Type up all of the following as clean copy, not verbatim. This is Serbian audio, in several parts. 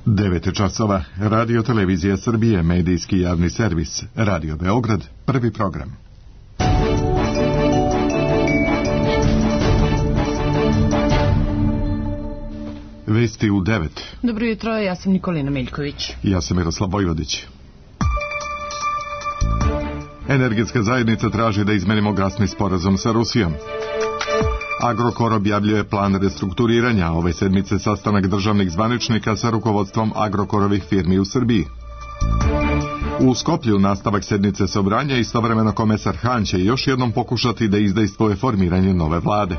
9 časova, Radio Televizija Srbije, medijski javni servis, Radio Beograd, prvi program. Vesti u 9. Dobro jutro, ja sam Nikolina Miljković. Ja sam Miroslav Vojvodić. Energetska zajednica traži da izmenimo gasni sporazum sa Rusijom. Agrokor objavljuje plan restrukturiranja, ove sedmice sastanak državnih zvaničnika sa rukovodstvom Agrokorovih firmi u Srbiji. U Skoplju nastavak sednice Sobranja, istovremeno komesar Han će još jednom pokušati da izdejstvuje formiranje nove vlade.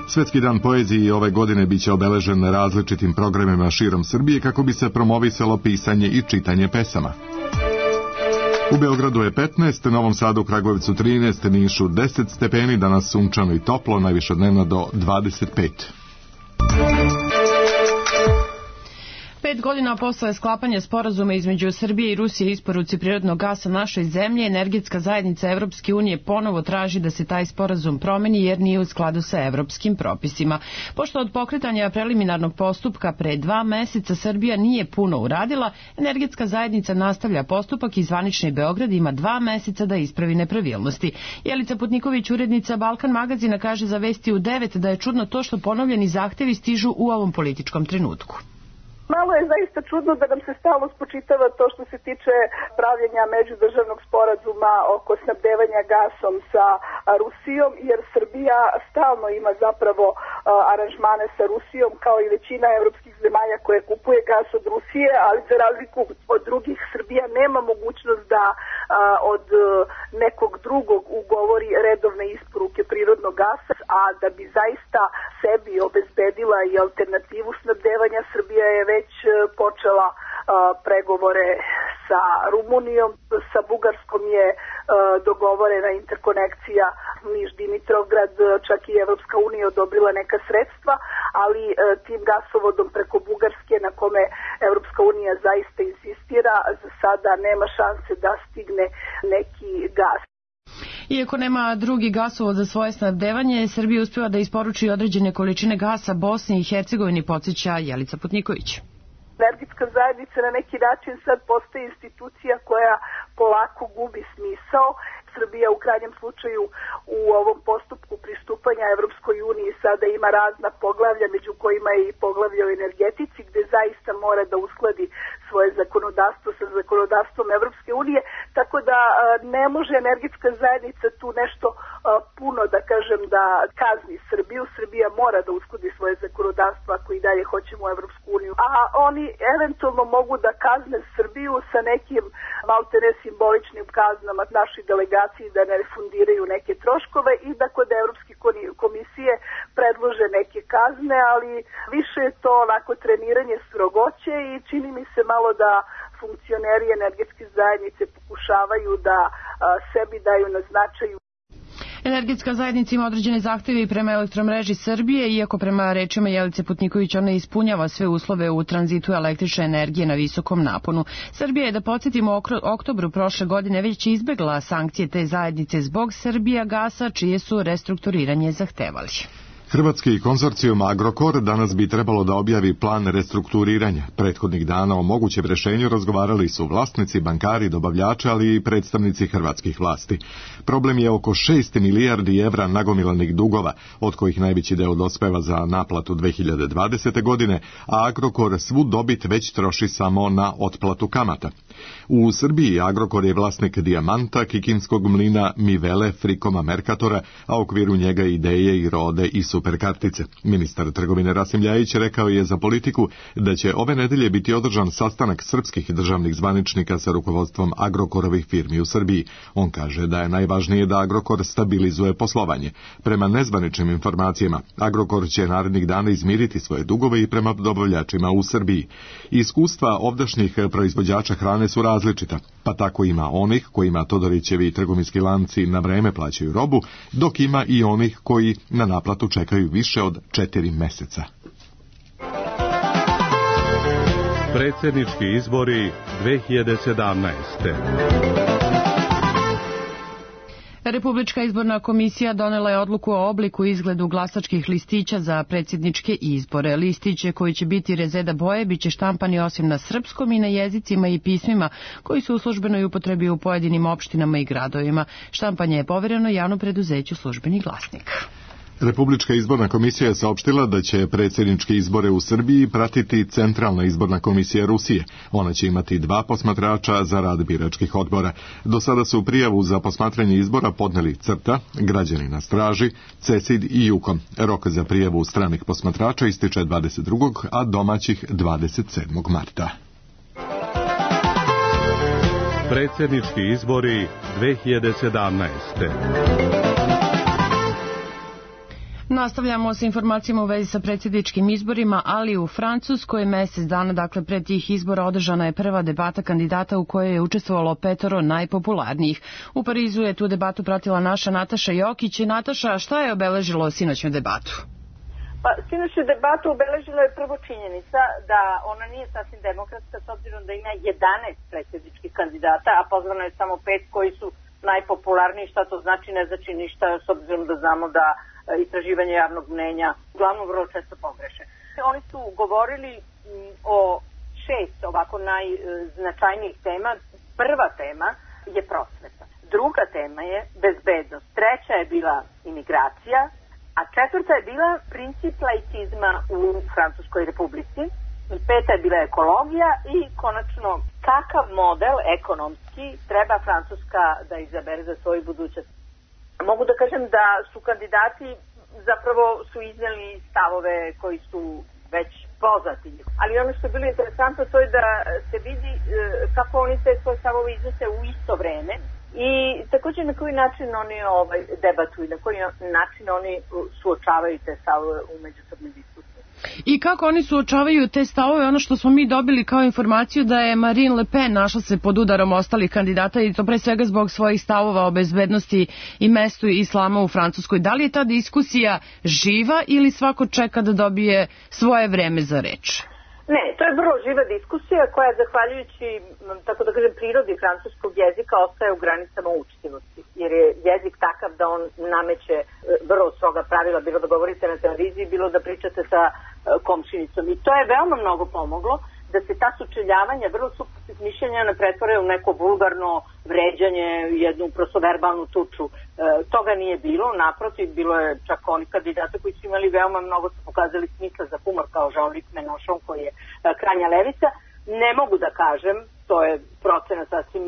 Svetski dan poezije ove godine biće obeležen različitim programima širom Srbije kako bi se promovisalo pisanje i čitanje pesama. U Beogradu je 15, Novom Sadu, Kragujevcu 13, Nišu 10 stepeni, danas sunčano i toplo, najviše dnevno do 25. 5 godina posle sklapanja sporazuma između Srbije i Rusije isporuci prirodnog gasa našoj zemlji, energetska zajednica Evropske unije ponovo traži da se taj sporazum promeni jer nije u skladu sa evropskim propisima. Pošto od pokretanja preliminarnog postupka pre 2 meseca Srbija nije puno uradila, energetska zajednica nastavlja postupak i zvanični Beograd ima 2 meseca da ispravi nepravilnosti. Jelica Putniković, urednica Balkan magazina, kaže za Vesti u 9 da je čudno to što ponovljeni zahtevi stižu u ovom političkom trenutku. Malo je zaista čudno da nam se stalno spočitava to što se tiče pravljenja međudržavnog sporazuma oko snabdevanja gasom sa Rusijom, jer Srbija stalno ima zapravo aranžmane sa Rusijom kao i većina evropskih zemalja koje kupuje gas od Rusije, ali za razliku od drugih Srbija nema mogućnost da od nekog drugog ugovori redovne isporuke prirodnog gasa, a da bi zaista sebi obezbedila i alternativu snabdevanja, Srbija je već počela pregovore sa Rumunijom, sa Bugarskom je dogovorena interkonekcija Niš-Dimitrovgrad, čak i Evropska unija odobrila neka sredstva, ali tim gasovodom preko Bugarske na kome Evropska unija zaista insistira, za sada nema šanse da stigne neki gas. Iako nema drugi gasovod za svoje snabdevanje, Srbija uspeva da isporuči određene količine gasa Bosni i Hercegovini, podsjeća Jelica Putniković. Energetska zajednica na neki način sad postaje institucija koja polako gubi smisao. Srbija u krajnjem slučaju u ovom postupku pristupanja Evropskoj uniji sada ima razna poglavlja, među kojima je i poglavlje o energetici, gde zaista mora da uskladi svoje zakonodavstvo sa zakonodavstvom Evropske unije, tako da ne može energetska zajednica tu nešto puno, da kažem, da kazni Srbiju. Srbija mora da uskladi svoje zakonodavstvo ako i dalje hoćemo u Evropsku uniju. A oni eventualno mogu da kazne Srbiju sa nekim maltene simboličnim kaznama našoj delegaciji da ne refundiraju neke troškove i da kod Evropske komisije predlože neke kazne, ali više je to onako treniranje strogoće i čini mi se malo da funkcioneri energetske zajednice pokušavaju da sebi daju na značaju. Energetska zajednica ima određene zahteve i prema Elektromreži Srbije, iako prema rečima Jelice Putniković ona ispunjava sve uslove u tranzitu električne energije na visokom naponu. Srbija je, da podsjetimo, u oktobru prošle godine već izbegla sankcije te zajednice zbog Srbijagasa, čije su restrukturiranje zahtevali. Hrvatski konzorcijum Agrokor danas bi trebalo da objavi plan restrukturiranja. Prethodnih dana o mogućem rešenju razgovarali su vlasnici, bankari, dobavljači, ali i predstavnici hrvatskih vlasti. Problem je oko 6 milijardi evra nagomilanih dugova, od kojih najveći deo dospeva za naplatu 2020. godine, a Agrokor svu dobit već troši samo na otplatu kamata. U Srbiji Agrokor je vlasnik Dijamanta, Kikinskog mlina, Mivele, Frikoma, Merkatora, a u okviru njega Ideje i Rode i Superkartice. Ministar trgovine Rasim Ljajić rekao je za Politiku da će ove nedelje biti održan sastanak srpskih državnih zvaničnika sa rukovodstvom Agrokorovih firmi u Srbiji. On kaže da je najvažnije da Agrokor stabilizuje poslovanje. Prema nezvaničnim informacijama, Agrokor će narednih dana izmiriti svoje dugove i prema dobavljačima u Srbiji. Iskustva ovdašnjih proizvođača hrane su različita, pa tako ima onih kojima Todorićevi trgovinski lanci na vreme plaćaju robu, dok ima i onih koji na naplatu čekaju više od 4 meseca. Predsjednički izbori 2017. Republička izborna komisija donela je odluku o obliku i izgledu glasačkih listića za predsjedničke izbore. Listiće koji će biti rezeda boje biće štampani osim na srpskom i na jezicima i pismima koji su u službenoj upotrebi u pojedinim opštinama i gradovima. Štampanje je povereno javnom preduzeću Službeni glasnik. Republička izborna komisija je saopštila da će predsjedničke izbore u Srbiji pratiti Centralna izborna komisija Rusije. Ona će imati 2 posmatrača za rad biračkih odbora. Do sada su prijavu za posmatranje izbora podneli CRTA, Građani na straži, CESID i JUKOM. Rok za prijavu stranih posmatrača ističe 22. a domaćih 27. marta. Predsjednički izbori 2017. Nastavljamo sa informacijama u vezi sa predsjedničkim izborima, ali u Francuskoj mjesec dana, dakle pred tih izbora, održana je prva debata kandidata u kojoj je učestvovalo 5 najpopularnijih. U Parizu je tu debatu pratila naša Nataša Jokić. Nataša, šta je obeležilo sinoćnju debatu? Pa, sinoćnju debatu obeležila je prvo činjenica da ona nije sasvim demokratska, s obzirom da ima 11 predsjedničkih kandidata, a pozvano je samo 5 koji su najpopularniji. Šta to znači? Ne znači ništa, s obzirom da znamo da istraživanje javnog mnenja uglavnom vrlo često pogreše. Oni su govorili o 6 ovako najznačajnijih tema. Prva tema je prosveta. Druga tema je bezbednost. Treća je bila imigracija, a četvrta je bila princip laicizma u Francuskoj republici. Peta je bila ekologija i konačno kakav model ekonomski treba Francuska da izabere za svoju budućnost. Mogu da kažem da su kandidati zapravo su izneli stavove koji su već poznati. Ali ono što je bilo interesantno to je da se vidi kako oni te svoje stavove iznose u isto vreme i također na koji način oni debatuju, na koji način oni suočavaju te stavove u međusobnoj diskusiji. I kako oni suočavaju te stavove? Ono što smo mi dobili kao informaciju da je Marine Le Pen našla se pod udarom ostalih kandidata i to pre svega zbog svojih stavova o bezbednosti i mestu islama u Francuskoj. Da li je ta diskusija živa ili svako čeka da dobije svoje vreme za reč? Ne, to je vrlo živa diskusija koja zahvaljujući, tako da kažem, prirodi francuskog jezika ostaje u granicama učtivosti. Jer je jezik takav da on nameće vrlo stroga pravila, bilo da govorite na televiziji, bilo da pričate sa komšinicom. I to je veoma mnogo pomoglo da se ta sučeljavanja vrlo suprotnih mišljenja ne pretvore u neko vulgarno vređanje, jednu prosto verbalnu tuču. Toga nije bilo, naprotiv, bilo je čak oni kandidata koji su imali veoma mnogo, su pokazali smisla za humor kao Jean-Luc Mélenchon koji je krajnja levica. Ne mogu da kažem, to je procena sasvim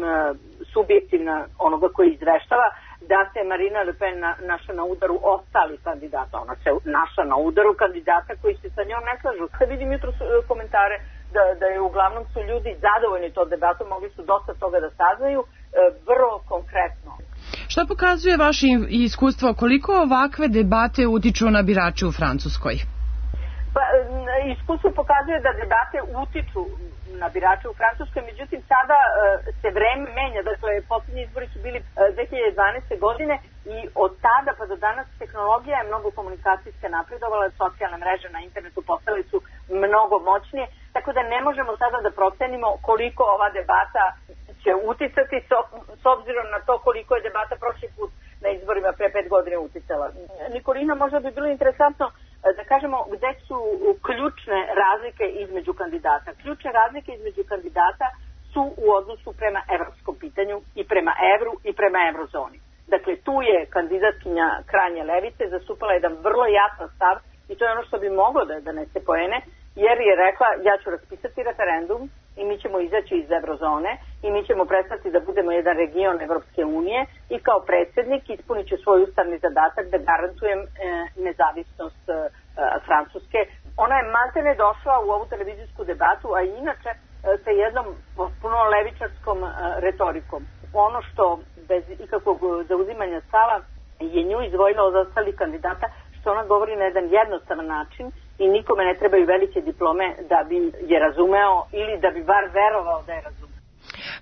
subjektivna onoga koji izveštava, da se Marine Le Pen našla na udaru ostalih kandidata. Ona se našla na udaru kandidata koji se sa njom ne slažu. Kad vidim jutro komentare da je uglavnom su ljudi zadovoljni to debatom, mogli su dosta toga da saznaju, vrlo konkretno. Šta pokazuje vaše iskustvo, koliko ovakve debate utiču na birače u Francuskoj? Pa, iskustvo pokazuje da debate utiču na birače u Francuskoj, međutim sada se vreme menja, dakle posljednji izbori su bili 2012. godine i od tada pa do danas tehnologija je mnogo komunikacijske napredovala, socijalne mreže na internetu postale su mnogo moćnije, tako da ne možemo sada da procenimo koliko ova debata će uticati s obzirom na to koliko je debata prošli put na izborima pre 5 godina uticala. Nikolina, možda bi bilo interesantno da kažemo gde su ključne razlike između kandidata. Ključne razlike između kandidata su u odnosu prema evropskom pitanju i prema evru i prema eurozoni. Dakle, tu je kandidatkinja krajnje levice zastupala jedan vrlo jasan stav i to je ono što bi moglo da donese poene, jer je rekla ja ću raspisati referendum i mi ćemo izaći iz eurozone i mi ćemo prestati da budemo jedan region Evropske unije i kao predsjednik ispunit ću svoj ustavni zadatak da garantujem nezavisnost Francuske. Ona je maltene došla u ovu televizijsku debatu, a inače sa jednom potpuno levičarskom retorikom. Ono što bez ikakvog zauzimanja stava je nju izdvojila od ostalih kandidata, što ona govori na jedan jednostavan način i nikome ne trebaju velike diplome da bi je razumeo ili da bi bar verovao da je razumeo.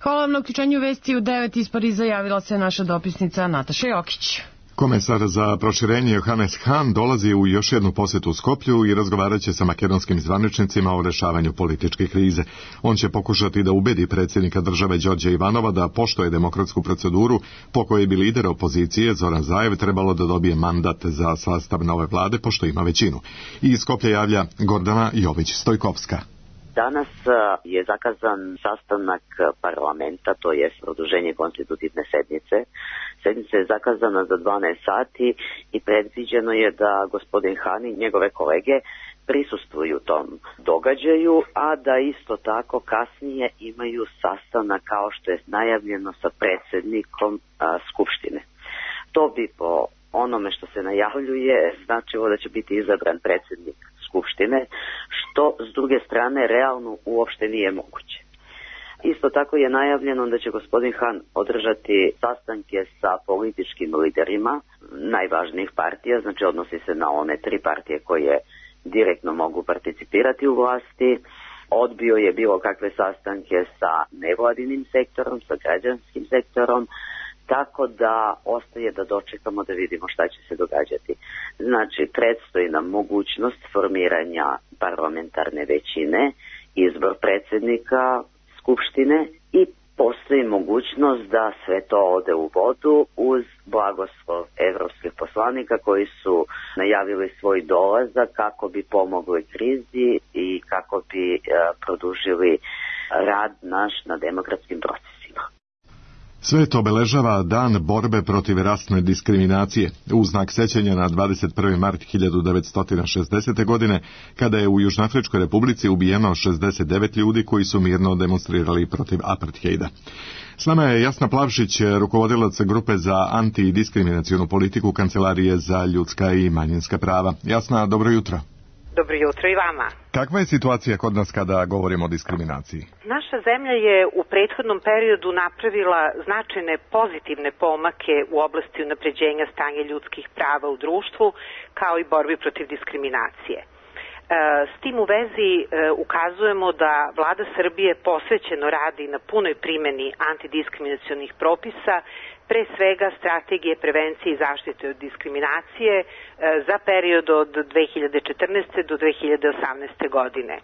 Hvala vam na uključenju vesti u 9 iz Pariza, javila se naša dopisnica Nataša Jokić. Komesar za proširenje Johannes Hahn dolazi u još jednu posjetu Skoplju i razgovarat će sa makedonskim zvaničnicima o rešavanju političke krize. On će pokušati da ubedi predsjednika države Đorđa Ivanova da poštuje demokratsku proceduru po kojoj bi lider opozicije Zoran Zaev trebalo da dobije mandat za sastav nove vlade pošto ima većinu. I iz Skoplja javlja Gordana Jović-Stojkovska. Danas je zakazan sastanak parlamenta, to je produženje konstitutivne sednice. Sednica je zakazana za 12 sati i predviđeno je da gospodin Hahn i njegove kolege prisustvuju tom događaju, a da isto tako kasnije imaju sastanak kao što je najavljeno sa predsjednikom Skupštine. To bi po onome što se najavljuje značilo da će biti izabran predsjednik Skupštine, što s druge strane realno uopšte nije moguće. Isto tako je najavljeno da će gospodin Hahn održati sastanke sa političkim liderima najvažnijih partija, znači odnosi se na one 3 partije koje direktno mogu participirati u vlasti. Odbio je bilo kakve sastanke sa nevladinim sektorom, sa građanskim sektorom, tako da ostaje da dočekamo da vidimo šta će se događati. Znači, predstoji nam mogućnost formiranja parlamentarne većine, izbor predsjednika Skupštine i postoji mogućnost da sve to ode u vodu uz blagoslov evropskih poslanika koji su najavili svoj dolazak kako bi pomogli krizi i kako bi produžili rad naš na demokratskim procesima. Sve to obeležava Dan borbe protiv rasne diskriminacije, u znak sećanja na 21. mart 1960. godine, kada je u Južnoafričkoj republici ubijeno 69 ljudi koji su mirno demonstrirali protiv apartheida. S nama je Jasna Plavšić, rukovodilac grupe za antidiskriminacionu politiku Kancelarije za ljudska i manjinska prava. Jasna, dobro jutro. Dobro jutro i vama. Kakva je situacija kod nas kada govorimo o diskriminaciji? Naša zemlja je u prethodnom periodu napravila značajne pozitivne pomake u oblasti unapređenja stanja ljudskih prava u društvu, kao i borbi protiv diskriminacije. S tim u vezi ukazujemo da Vlada Srbije posvećeno radi na punoj primjeni antidiskriminacionih propisa, pre svega strategije prevencije i zaštite od diskriminacije za period od 2014. do 2018. godine.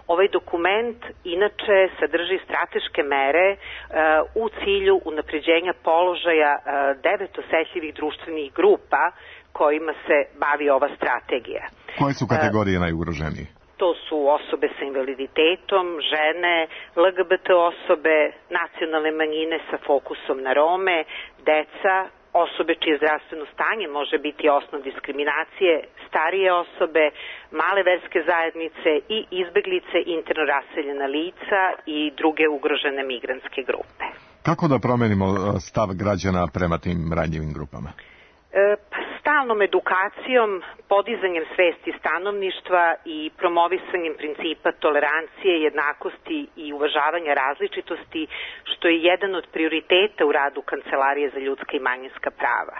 Ovaj dokument inače sadrži strateške mere u cilju unapređenja položaja 9 osetljivih društvenih grupa kojima se bavi ova strategija. Koje su kategorije najugroženije? To su osobe sa invaliditetom, žene, LGBT osobe, nacionalne manjine sa fokusom na Rome, deca, osobe čije zdravstveno stanje može biti osnov diskriminacije, starije osobe, male verske zajednice i izbeglice, interno raseljena lica i druge ugrožene migrantske grupe. Kako da promenimo stav građana prema tim ranjivim grupama? Stalnom edukacijom, podizanjem svesti stanovništva i promovisanjem principa tolerancije, jednakosti i uvažavanja različitosti, što je jedan od prioriteta u radu Kancelarije za ljudska i manjinska prava.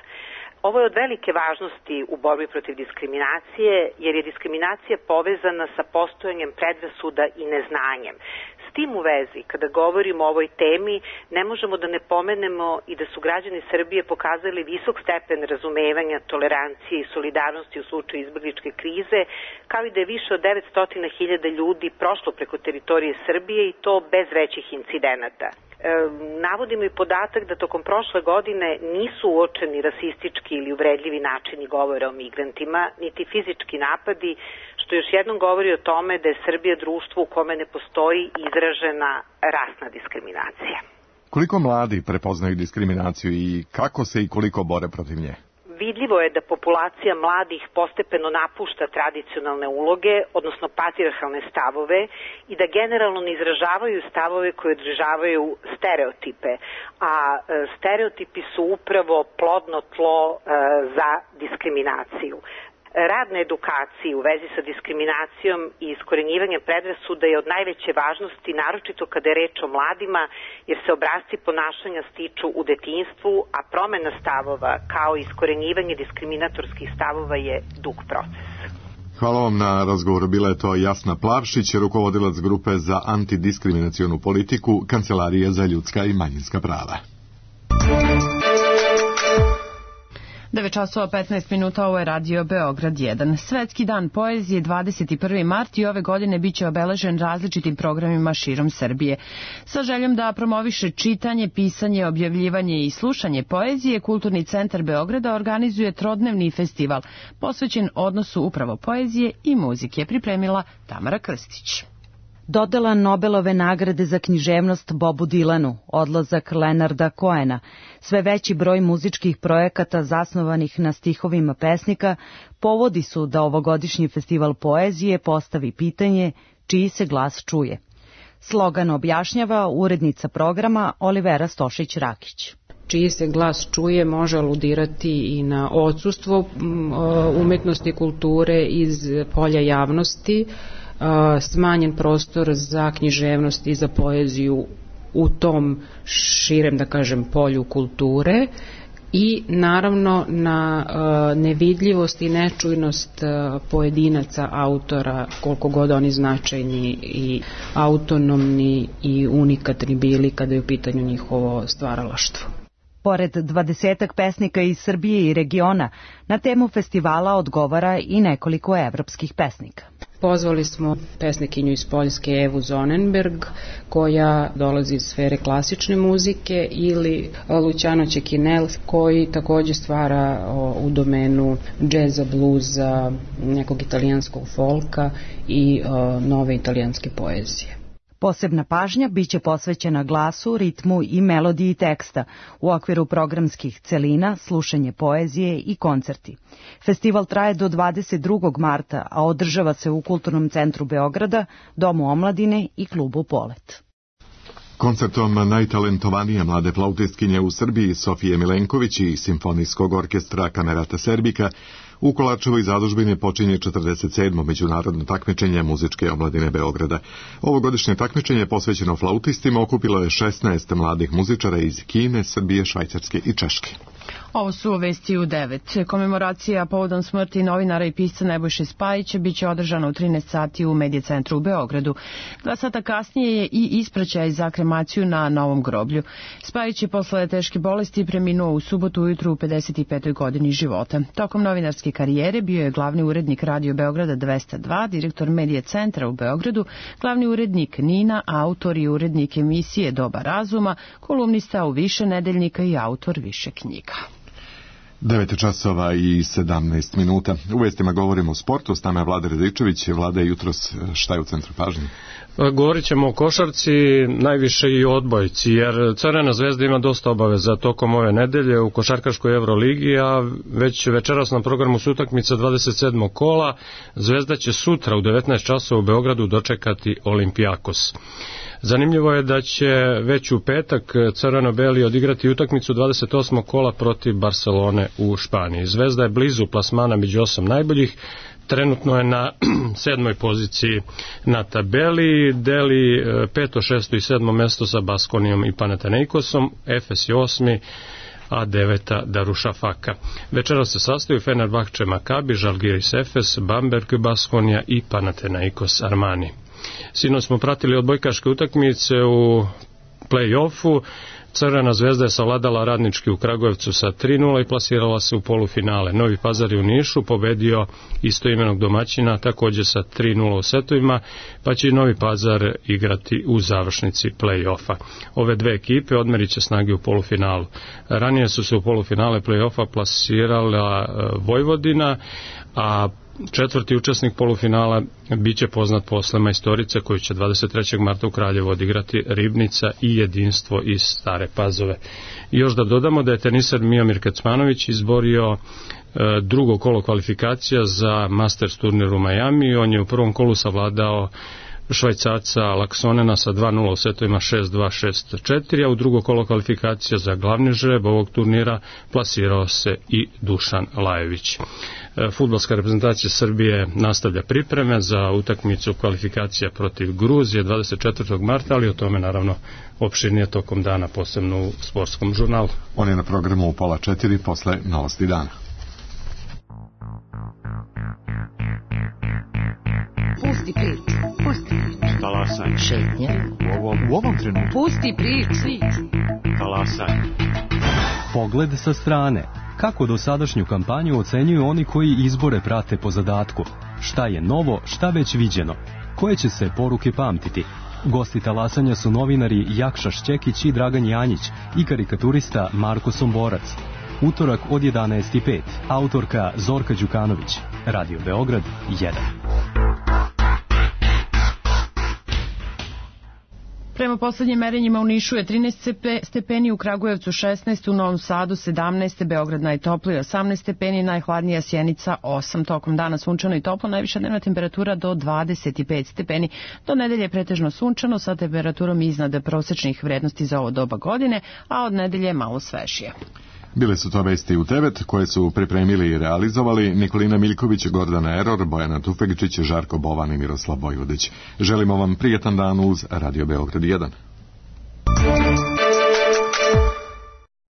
Ovo je od velike važnosti u borbi protiv diskriminacije, jer je diskriminacija povezana sa postojanjem predrasuda i neznanjem. S tim u vezi, kada govorimo o ovoj temi, ne možemo da ne pomenemo i da su građani Srbije pokazali visok stepen razumevanja, tolerancije i solidarnosti u slučaju izbegličke krize, kao i da je više od 900.000 ljudi prošlo preko teritorije Srbije i to bez većih incidenata. Navodimo i podatak da tokom prošle godine nisu uočeni rasistički ili uvredljivi načini govora o migrantima, niti fizički napadi, što još jednom govori o tome da je Srbija društvo u kome ne postoji izražena rasna diskriminacija. Koliko mladi prepoznaju diskriminaciju i kako se i koliko bore protiv nje? Vidljivo je da populacija mladih postepeno napušta tradicionalne uloge, odnosno patrijarhalne stavove, i da generalno ne izražavaju stavove koje održavaju stereotipe, a stereotipi su upravo plodno tlo za diskriminaciju. Rad na edukaciji u vezi sa diskriminacijom i iskorenjivanjem predrasuda je od najveće važnosti, naročito kada je reč o mladima, jer se obrasci ponašanja stiču u detinjstvu, a promena stavova kao i iskorenjivanje diskriminatorskih stavova je dug proces. Hvala vam na razgovoru. Bila je to Jasna Plavšić, rukovodilac grupe za antidiskriminacionu politiku Kancelarije za ljudska i manjinska prava. 9 časova 15 minuta, ovo je Radio Beograd 1. Svetski dan poezije 21. mart i ove godine biće obeležen različitim programima širom Srbije. Sa željom da promoviše čitanje, pisanje, objavljivanje i slušanje poezije, Kulturni centar Beograda organizuje trodnevni festival posvećen odnosu upravo poezije i muzike, pripremila Tamara Krstić. Dodela Nobelove nagrade za književnost Bobu Dilanu, odlazak Leonarda Cohena, sve veći broj muzičkih projekata zasnovanih na stihovima pesnika povodi su da ovogodišnji festival poezije postavi pitanje čiji se glas čuje. Slogan objašnjava urednica programa Olivera Stošić-Rakić. Čiji se glas čuje može aludirati i na odsustvo umetnosti i kulture iz polja javnosti, smanjen prostor za književnost i za poeziju u tom širem, da kažem, polju kulture i naravno na nevidljivost i nečujnost pojedinaca, autora, koliko god oni značajni i autonomni i unikatni bili kada je u pitanju njihovo stvaralaštvo. Pored 20 pesnika iz Srbije i regiona, na temu festivala odgovara i nekoliko evropskih pesnika. Pozvali smo pesnikinju iz Poljske Evu Zonenberg, koja dolazi iz sfere klasične muzike, ili Luciano Cecchinel, koji takođe stvara u domenu džeza, bluza, nekog italijanskog folka i nove italijanske poezije. Posebna pažnja biće posvećena glasu, ritmu i melodiji teksta u okviru programskih celina, slušanje poezije i koncerti. Festival traje do 22. marta, a održava se u Kulturnom centru Beograda, Domu omladine i klubu Polet. Koncertom najtalentovanije mlade flautistkinje u Srbiji Sofije Milenković i Simfonijskog orkestra Kamerata Serbika u Kolarčevoj zadužbini počinje 47. međunarodno takmičenje muzičke omladine Beograda. Ovogodišnje takmičenje posvećeno flautistima okupilo je 16 mladih muzičara iz Kine, Srbije, Švajcarske i Češke. Ovo su vesti u 9. Komemoracija povodom smrti novinara i pisca Nebojše Spajića biće održana u 13 sati u Medija centru u Beogradu. 2 sata kasnije je i ispraćaj za kremaciju na Novom groblju. Spajić je posle teške bolesti preminuo u subotu ujutru u 55. godini života. Tokom novinarske karijere bio je glavni urednik Radio Beograda 202, direktor Medija centra u Beogradu, glavni urednik NINA, autor i urednik emisije Doba razuma, kolumnista u više nedeljnika i autor više knjiga. 9 časova i 17 minuta. U vestima govorimo o sportu, s nama je Vlada Radičević. Vlada, jutros šta je u centru pažnje? Govorit ćemo o košarci, najviše i o odbojci, jer Crvena zvezda ima dosta obaveza tokom ove nedelje u košarkaškoj Evroligi, a već večeras na programu su utakmica 27. kola. Zvezda će sutra u 19 časova u Beogradu dočekati Olimpijakos. Zanimljivo je da će već u petak crveno-beli odigrati utakmicu 28. kola protiv Barcelone u Španiji. Zvezda je blizu plasmana među 8 najboljih, trenutno je na 7. poziciji na tabeli, deli 5., 6. i 7. mesto sa Baskonijom i Panathinaikosom, Efes je 8. a 9. Darušafaka. Večera se sastaju Fenerbahče Makabi, Žalgiris Efes, Bamberg Baskonija i Panathinaikos Armani. Sinoć smo pratili odbojkaške utakmice u play-offu. Crvena zvezda je savladala Radnički u Kragujevcu sa 3:0 i plasirala se u polufinale. Novi Pazar je u Nišu pobedio istoimenog domaćina takođe sa 3:0 u setovima, pa će i Novi Pazar igrati u završnici play-offa. Ove dve ekipe odmerit će snage u polufinalu. Ranije su se u polufinale play-offa plasirala Vojvodina, a četvrti učesnik polufinala biće poznat posle majstorice koju će 23. marta u Kraljevu odigrati Ribnica i Jedinstvo iz Stare Pazove. I još da dodamo da je teniser Miomir Kecmanović izborio drugo kolo kvalifikacija za Masters turnir u Majami. On je u prvom kolu savladao Švajcarca Laksonena sa 2:0 u setovima 6-2, 6-4, a u drugo kolo kvalifikacija za glavni žreb ovog turnira plasirao se i Dušan Lajević. Fudbalska reprezentacija Srbije nastavlja pripreme za utakmicu kvalifikacija protiv Gruzije 24. marta, ali o tome naravno opširnije tokom dana, posebno u sportskom žurnalu. On je na programu u 3:30 posle novosti dana. Pusti priču. Pusti priču. Talasaj. Šetnja. U ovom trenutku. Pusti priču. Talasaj. Pogled sa strane. Kako dosadašnju kampanju ocenjuju oni koji izbore prate po zadatku? Šta je novo, šta već viđeno? Koje će se poruke pamtiti? Gosti talasanja su novinari Jakša Šćekić i Dragan Janjić i karikaturista Marko Somborac. Utorak od 11:05. Autorka Zorka Đukanović. Radio Beograd 1. Prema poslednjim merenjima u Nišu je 13 stepeni, u Kragujevcu 16, u Novom Sadu 17, Beograd najtopliji 18 stepeni, najhladnija Sjenica 8. Tokom dana sunčano i toplo, najviša dnevna temperatura do 25 stepeni. Do nedelje pretežno sunčano sa temperaturom iznad prosečnih vrednosti za ovo doba godine, a od nedelje malo svežije. Bile su to vesti u 9 koje su pripremili i realizovali Nikolina Miljković, Gordana Eror, Bojana Tufegčić, Žarko Bovan i Miroslav Vojvodić. Želimo vam prijetan dan uz Radio Beograd 1.